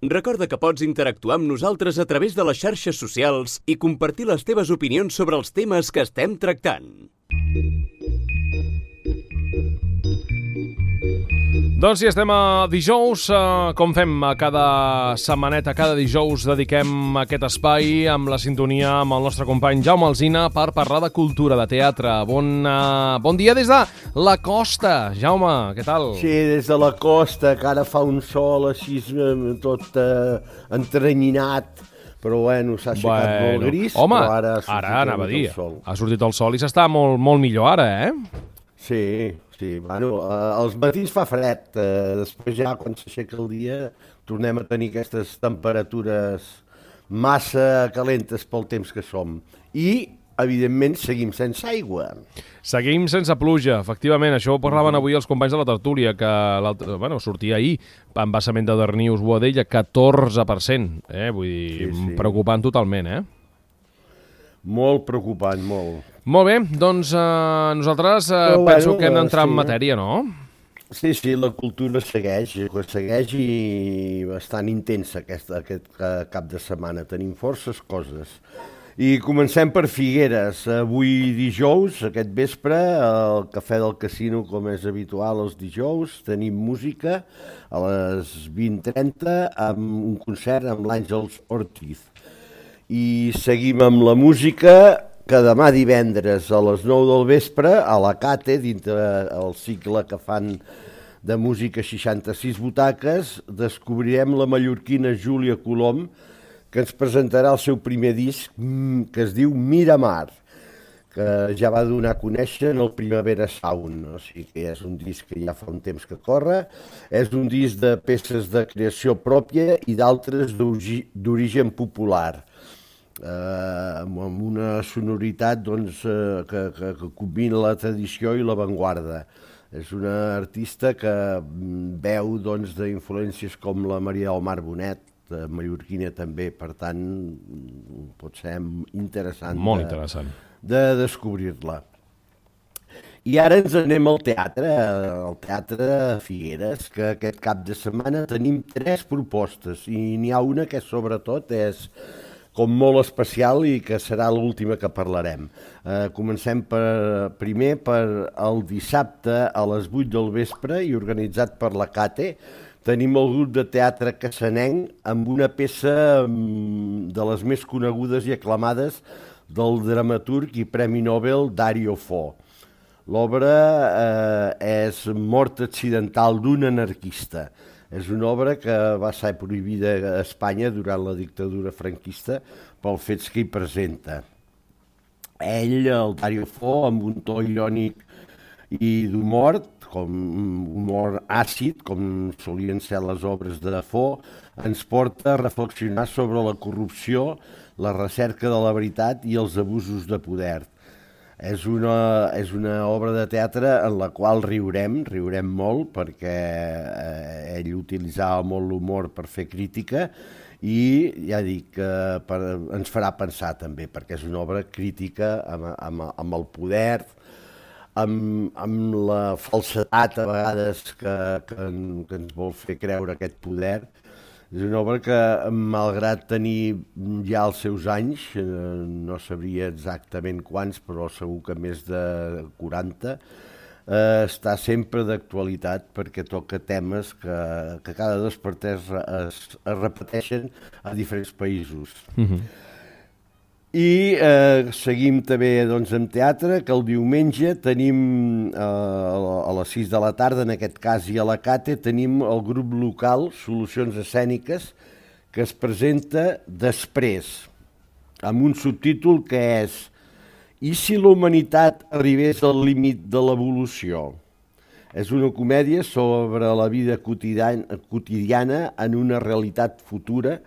Recorda que pots interactuar amb nosaltres a través de les xarxes socials i compartir les teves opinions sobre els temes que estem tractant. Doncs sí, estem a dijous, com fem cada setmaneta, cada dijous dediquem aquest espai amb la sintonia amb el nostre company Jaume Alsina per parlar de cultura, de teatre. Bon dia des de la costa, Jaume, què tal? Sí, des de la costa, que ara fa un sol així tot entrenyinat, però bueno, s'ha aixecat molt gris, home, però ara anava a dir, el sol. Ha sortit el sol i s'està molt, molt millor ara, Sí, bueno, als matins fa fred, després ja quan s'aixeca el dia tornem a tenir aquestes temperatures massa calentes pel temps que som. I, evidentment, seguim sense aigua. Seguim sense pluja, efectivament. Això ho parlaven avui els companys de la tertúlia, que sortia ahir, embassament de Darnius Boadella, 14%. Vull dir, Sí. preocupant totalment, Molt preocupant, molt. Molt bé, doncs nosaltres penso que hem d'entrar en matèria, no? Sí, la cultura segueix i bastant intensa aquest cap de setmana. Tenim forces coses. I comencem per Figueres. Avui dijous, aquest vespre, al Cafè del Casino, com és habitual els dijous, tenim música a les 20:30 amb un concert amb l'Àngels Ortiz. I seguim amb la música, que demà divendres a les 9 del vespre, a la Cate, dintre el cicle que fan de música 66 butaques, descobrirem la mallorquina Júlia Colom, que ens presentarà el seu primer disc, que es diu Miramar, que ja va donar a conèixer en el Primavera Sound. O sigui que és un disc que ja fa un temps que corre, és un disc de peces de creació pròpia i d'altres d'origen popular, amb una sonoritat que combina la tradició i l'avantguarda. És una artista que veu d'influències com la Maria del Mar Bonet, mallorquina també, per tant pot ser interessant, molt interessant de descobrir-la. I ara ens anem al Teatre Figueres, que aquest cap de setmana tenim 3 propostes i n'hi ha una que sobretot és com molt especial i que serà l'última que parlarem. Comencem primer per el dissabte a les 8 del vespre i organitzat per la Cate. Tenim el grup de teatre cassanenc amb una peça de les més conegudes i aclamades del dramaturg i Premi Nobel Dario Fo. L'obra és Mort accidental d'un anarquista. És una obra que va ser prohibida a Espanya durant la dictadura franquista pels fets que hi presenta. Ell, el Dario Fo, amb un to irònic i d'humor, com humor àcid, com solien ser les obres de Fo, ens porta a reflexionar sobre la corrupció, la recerca de la veritat i els abusos de poder. És una obra de teatre en la qual riurem molt, perquè ell utilitzava molt l'humor per fer crítica i ja dic que ens farà pensar també, perquè és una obra crítica amb el poder, amb la falsedat a vegades que ens vol fer creure aquest poder. És una obra que, malgrat tenir ja els seus anys, no sabria exactament quants, però segur que més de 40, està sempre d'actualitat perquè toca temes que cada 2 per 3 es repeteixen a diferents països. I seguim també amb teatre, que el diumenge tenim a les 6 de la tarda, en aquest cas i a la Cate, tenim el grup local Solucions Escèniques, que es presenta Després, amb un subtítol que és I si la humanitat arribés al límit de l'evolució? És una comèdia sobre la vida quotidiana en una realitat futura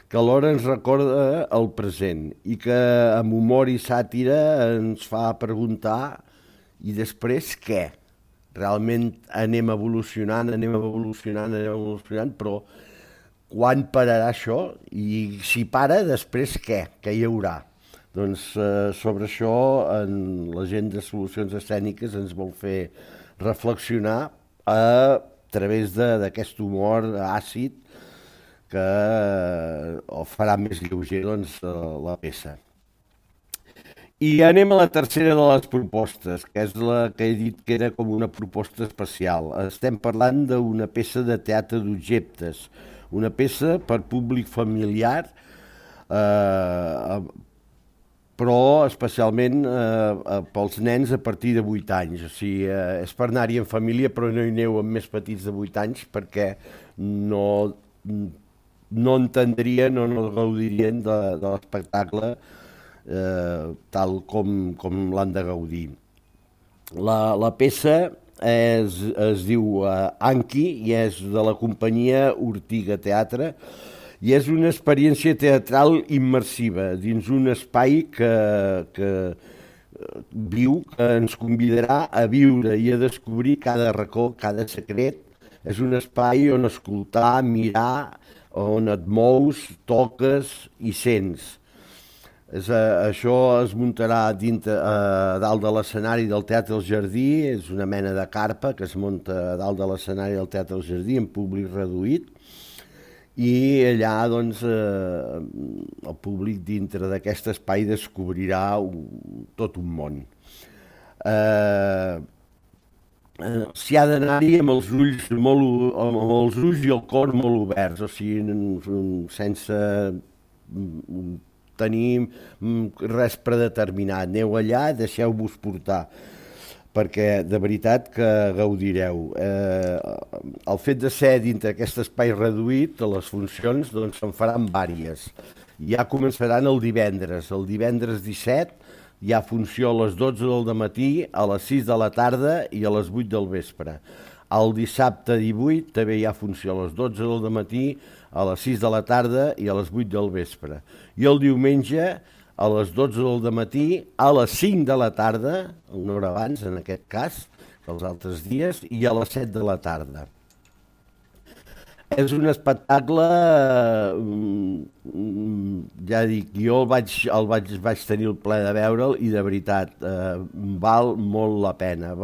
que alhora ens recorda el present i que amb humor i sàtira ens fa preguntar i després què? Realment anem evolucionant, però quan pararà això? I si para, després què? Què hi haurà? Doncs sobre això la gent de Solucions Escèniques ens vol fer reflexionar a través d'aquest humor àcid que o farà més lleuger doncs, la peça. I anem a la tercera de les propostes, que és la que he dit que era com una proposta especial. Estem parlant d'una peça de teatre d'objectes, una peça per públic familiar, però especialment pels nens a partir de 8 anys. O sigui, és per anar-hi en família, però no hi aneu amb més petits de 8 anys perquè no entendrien o no gaudirien de l'espectacle tal com l'han de gaudir. La peça es diu Anki i és de la companyia Ortiga Teatre i és una experiència teatral immersiva dins un espai que viu, que ens convidarà a viure i a descobrir cada racó, cada secret. És un espai on escoltar, mirar, on et mous, toques i sents. Això es muntarà dalt de l'escenari del Teatre El Jardí, és una mena de carpa que es munta dalt de l'escenari del Teatre El Jardí en públic reduït i allà doncs, el públic dintre d'aquest espai descobrirà tot un món. S'hi ha d'anar-hi amb els ulls i el cor molt oberts, o sigui, sense tenir res predeterminat. Aneu allà, deixeu-vos portar, perquè de veritat que gaudireu. El fet de ser dintre aquest espai reduït, les funcions doncs, se'n faran vàries. Ja començaran el divendres 17, hi ha funció a les 12 del matí, a les 6 de la tarda i a les 8 del vespre. El dissabte 18 també hi ha funció a les 12 del matí, a les 6 de la tarda i a les 8 del vespre. I el diumenge a les 12 del matí, a les 5 de la tarda, una hora abans en aquest cas, que els altres dies, i a les 7 de la tarda. És un espectacle, ja dic, jo vaig tenir el plaer de veure'l i de veritat val molt la pena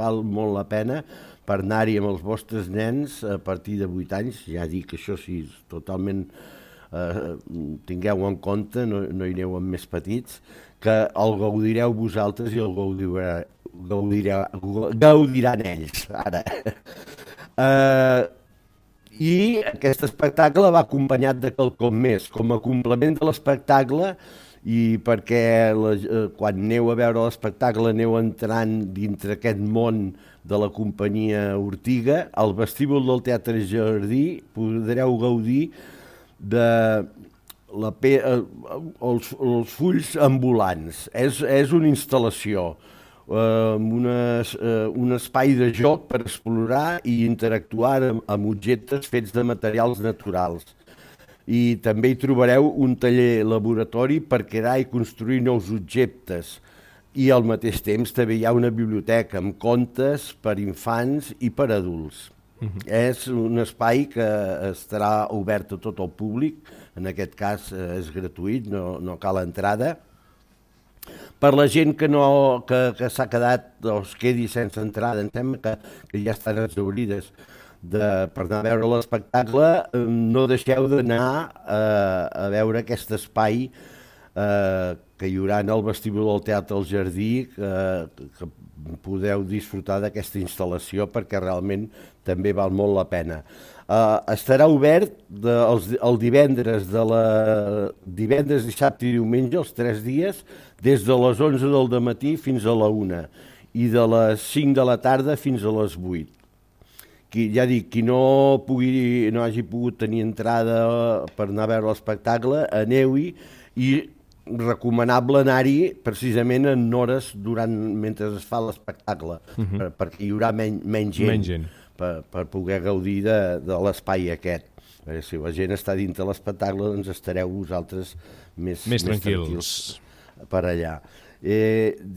per anar-hi amb els vostres nens a partir de 8 anys, ja dic, això sí, totalment tingueu en compte, no hi aneu amb més petits, que el gaudireu vosaltres i el gaudiran ells, ara. I aquest espectacle va acompanyat de quelcom més, com a complement de l'espectacle i perquè quan aneu a veure l'espectacle aneu entrant dintre aquest món de la companyia Ortiga, al vestíbul del Teatre Jardí podreu gaudir de els fulls ambulants. És una instal·lació, un espai de joc per explorar i interactuar amb objectes fets de materials naturals. I també hi trobareu un taller laboratori per crear i construir nous objectes. I al mateix temps també hi ha una biblioteca amb contes per infants i per adults. És un espai que estarà obert a tot el públic, en aquest cas és gratuït, no cal entrada. Per la gent que s'ha quedat o es quedi sense entrada, em sembla que ja estan exhaurides per anar a veure l'espectacle, no deixeu d'anar a veure aquest espai que hi haurà en el vestíbul del Teatre El Jardí, que podeu disfrutar d'aquesta instal·lació perquè realment també val molt la pena. Estarà obert el divendres, dissabte i diumenge, els 3 dies, des de les 11 del matí fins a la 1 i de les 5 de la tarda fins a les 8. Ja dic, qui no hagi pogut tenir entrada per anar a veure l'espectacle, aneu-hi i recomanable anar-hi precisament en hores mentre es fa l'espectacle, perquè hi haurà menys gent. Per poder gaudir de l'espai aquest. Si la gent està dintre l'espectacle, doncs estareu vosaltres més tranquils per allà.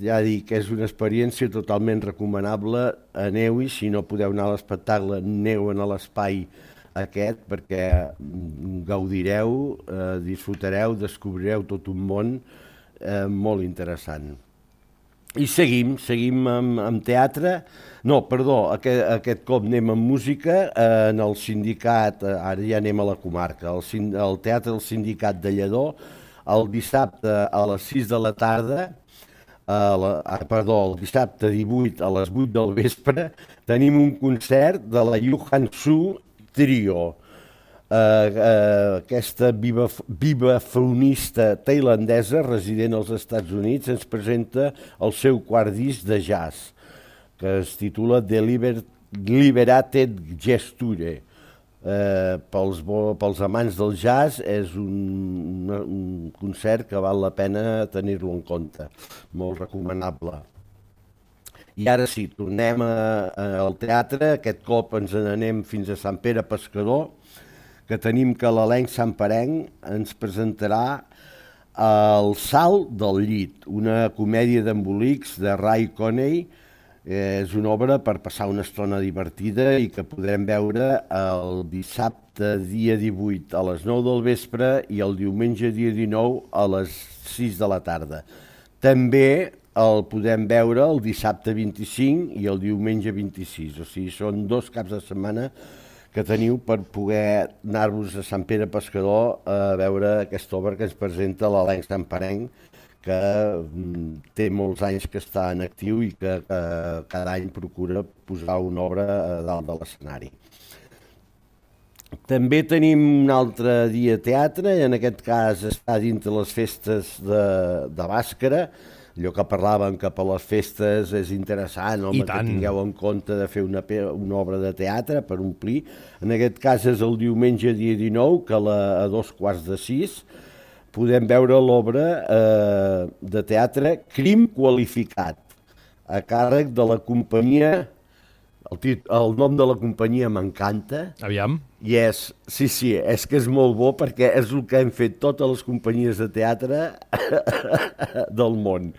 Ja dic que és una experiència totalment recomanable. Aneu-hi, si no podeu anar a l'espectacle, aneu a l'espai aquest perquè gaudireu, disfrutareu, descobrireu tot un món molt interessant. I seguim amb teatre. No, perdó, aquest cop anem amb música en el sindicat, ara ja anem a la comarca, el Teatre del Sindicat de Lledó, el dissabte a les 6 de la tarda, el dissabte 18 a les 8 del vespre, tenim un concert de la Johan Su Trio. Aquesta vibrafonista tailandesa resident als Estats Units ens presenta el seu quart disc de jazz, que es titula Liberated Gesture. Pels amants del jazz és un concert que val la pena tenir-lo en compte, molt recomanable. I ara sí, tornem al teatre, aquest cop ens n'anem fins a Sant Pere Pescador, que tenim que l'elenc santperenc ens presentarà El salt del llit, una comèdia d'embolics de Ray Coney. És una obra per passar una estona divertida i que podrem veure el dissabte dia 18 a les 9 del vespre i el diumenge dia 19 a les 6 de la tarda. També el podem veure el dissabte 25 i el diumenge 26, o sigui, són 2 caps de setmana que teniu per poder anar-vos a Sant Pere Pescador a veure aquesta obra que ens presenta l'elenc santperenc, que té molts anys que està en actiu i que cada any procura posar una obra a dalt de l'escenari. També tenim un altre dia teatre, i en aquest cas està dintre les festes de Bàscara, allò que parlàvem que per les festes és interessant, home, que tingueu en compte de fer una obra de teatre per omplir. En aquest cas és el diumenge dia 19, que a 2:15 podem veure l'obra de teatre Crim qualificat, a càrrec de la companyia. El nom de la companyia m'encanta. Aviam. I sí, és que és molt bo perquè és el que hem fet totes les companyies de teatre del món.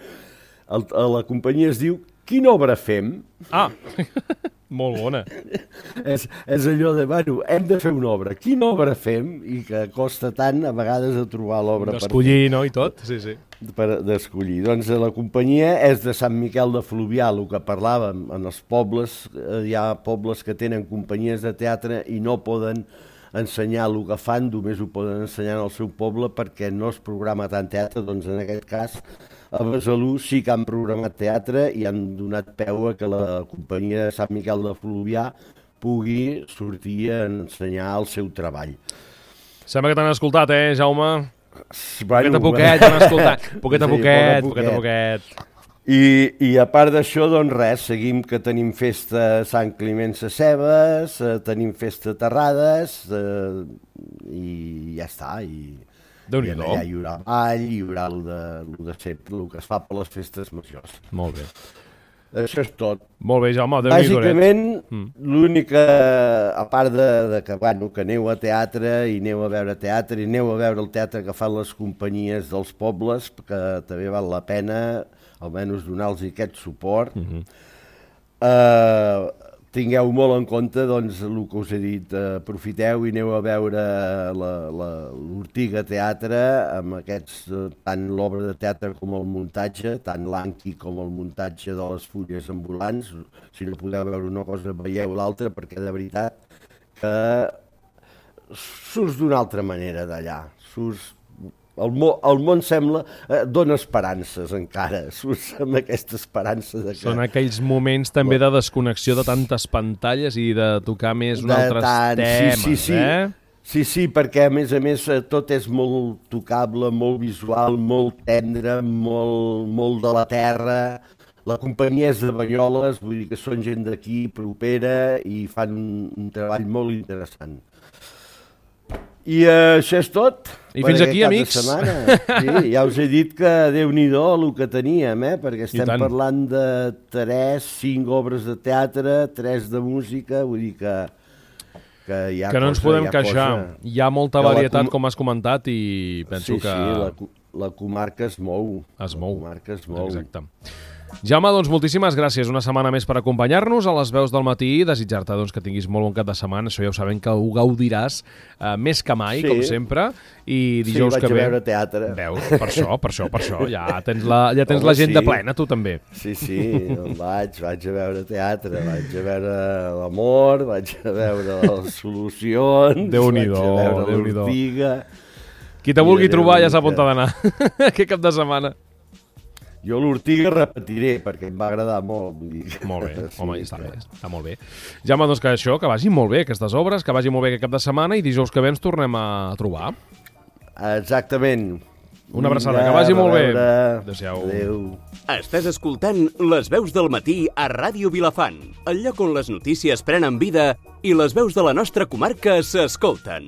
La companyia es diu Quina obra fem? Ah, molt bona. És allò de, bueno, hem de fer una obra. Quina obra fem? I que costa tant a vegades de trobar l'obra per fer. D'escollir, no? I tot, sí. D'escollir. Doncs la companyia és de Sant Miquel de Fluvià, el que parlàvem. En els pobles, hi ha pobles que tenen companyies de teatre i no poden ensenyar el que fan, només ho poden ensenyar al seu poble perquè no es programa tant teatre. Doncs en aquest cas a Besalú sí que han programat teatre i han donat peu a que la companyia de Sant Miquel de Fluvià pugui sortir a ensenyar el seu treball. Sembla que t'han escoltat, Jaume? Bueno, poquet, t'han escoltat. Poquet a poquet. I a part d'això, doncs res, seguim que tenim festa Sant Climent Sescebes, tenim festa Terrades i ja està. Déu-n'hi-do. Allà hi haurà ball, hi haurà el que es fa per les festes majors. Molt bé. Això és tot. Molt bé, Jaume, Déu-n'hi-do. Bàsicament, l'única, a part de que aneu a teatre i aneu a veure teatre i aneu a veure el teatre que fan les companyies dels pobles, que també val la pena almenys donar-los aquest suport. Tingueu molt en compte doncs, el que us he dit, aprofiteu i aneu a veure l'Ortiga Teatre amb aquests, tant l'obra de teatre com el muntatge, tant l'Anqui com el muntatge de les fulles ambulants. Si no podeu veure una cosa, veieu l'altra, perquè de veritat que surts d'una altra manera d'allà. El món sembla, dona esperances encara, surts amb aquesta esperança. Són aquells moments també de desconnexió de tantes pantalles i de tocar més altres temes, Sí, perquè a més tot és molt tocable, molt visual, molt tendre, molt de la terra. La companyia és de Banyoles, vull dir que són gent d'aquí, propera, i fan un treball molt interessant. I això és tot. I fins aquí, amics. Sí, ja us he dit que Déu-n'hi-do el que teníem, perquè estem parlant de 5 obres de teatre, 3 de música, vull dir que hi ha cosa. Que no ens podem queixar. Hi ha molta varietat, com has comentat, i penso que... Sí, la comarca es mou. Es mou. La comarca es mou. Exacte. Jaume, doncs moltíssimes gràcies una setmana més per acompanyar-nos a les veus del matí i desitjar-te que tinguis molt bon cap de setmana. Això ja ho sabem que ho gaudiràs més que mai, com sempre. I dijous que ve... Sí, vaig a veure teatre. Veus, per això. Ja tens l'agenda plena, tu també. Sí, vaig a veure teatre, vaig a veure l'amor, vaig a veure les solucions, Déu-n'hi-do, vaig a veure l'Ortiga... Qui te vulgui trobar ja sap on t'ha d'anar. Aquest cap de setmana. Jo l'Ortiga repetiré, perquè em va agradar molt. Molt bé, home, està molt bé. Jaume, doncs que vagi molt bé aquestes obres, que vagi molt bé aquest cap de setmana i dijous que ve ens tornem a trobar. Exactament. Una abraçada, que vagi molt bé. Adéu-siau. Adéu. Estàs escoltant Les veus del matí a Ràdio Vilafant, el lloc on les notícies prenen vida i les veus de la nostra comarca s'escolten.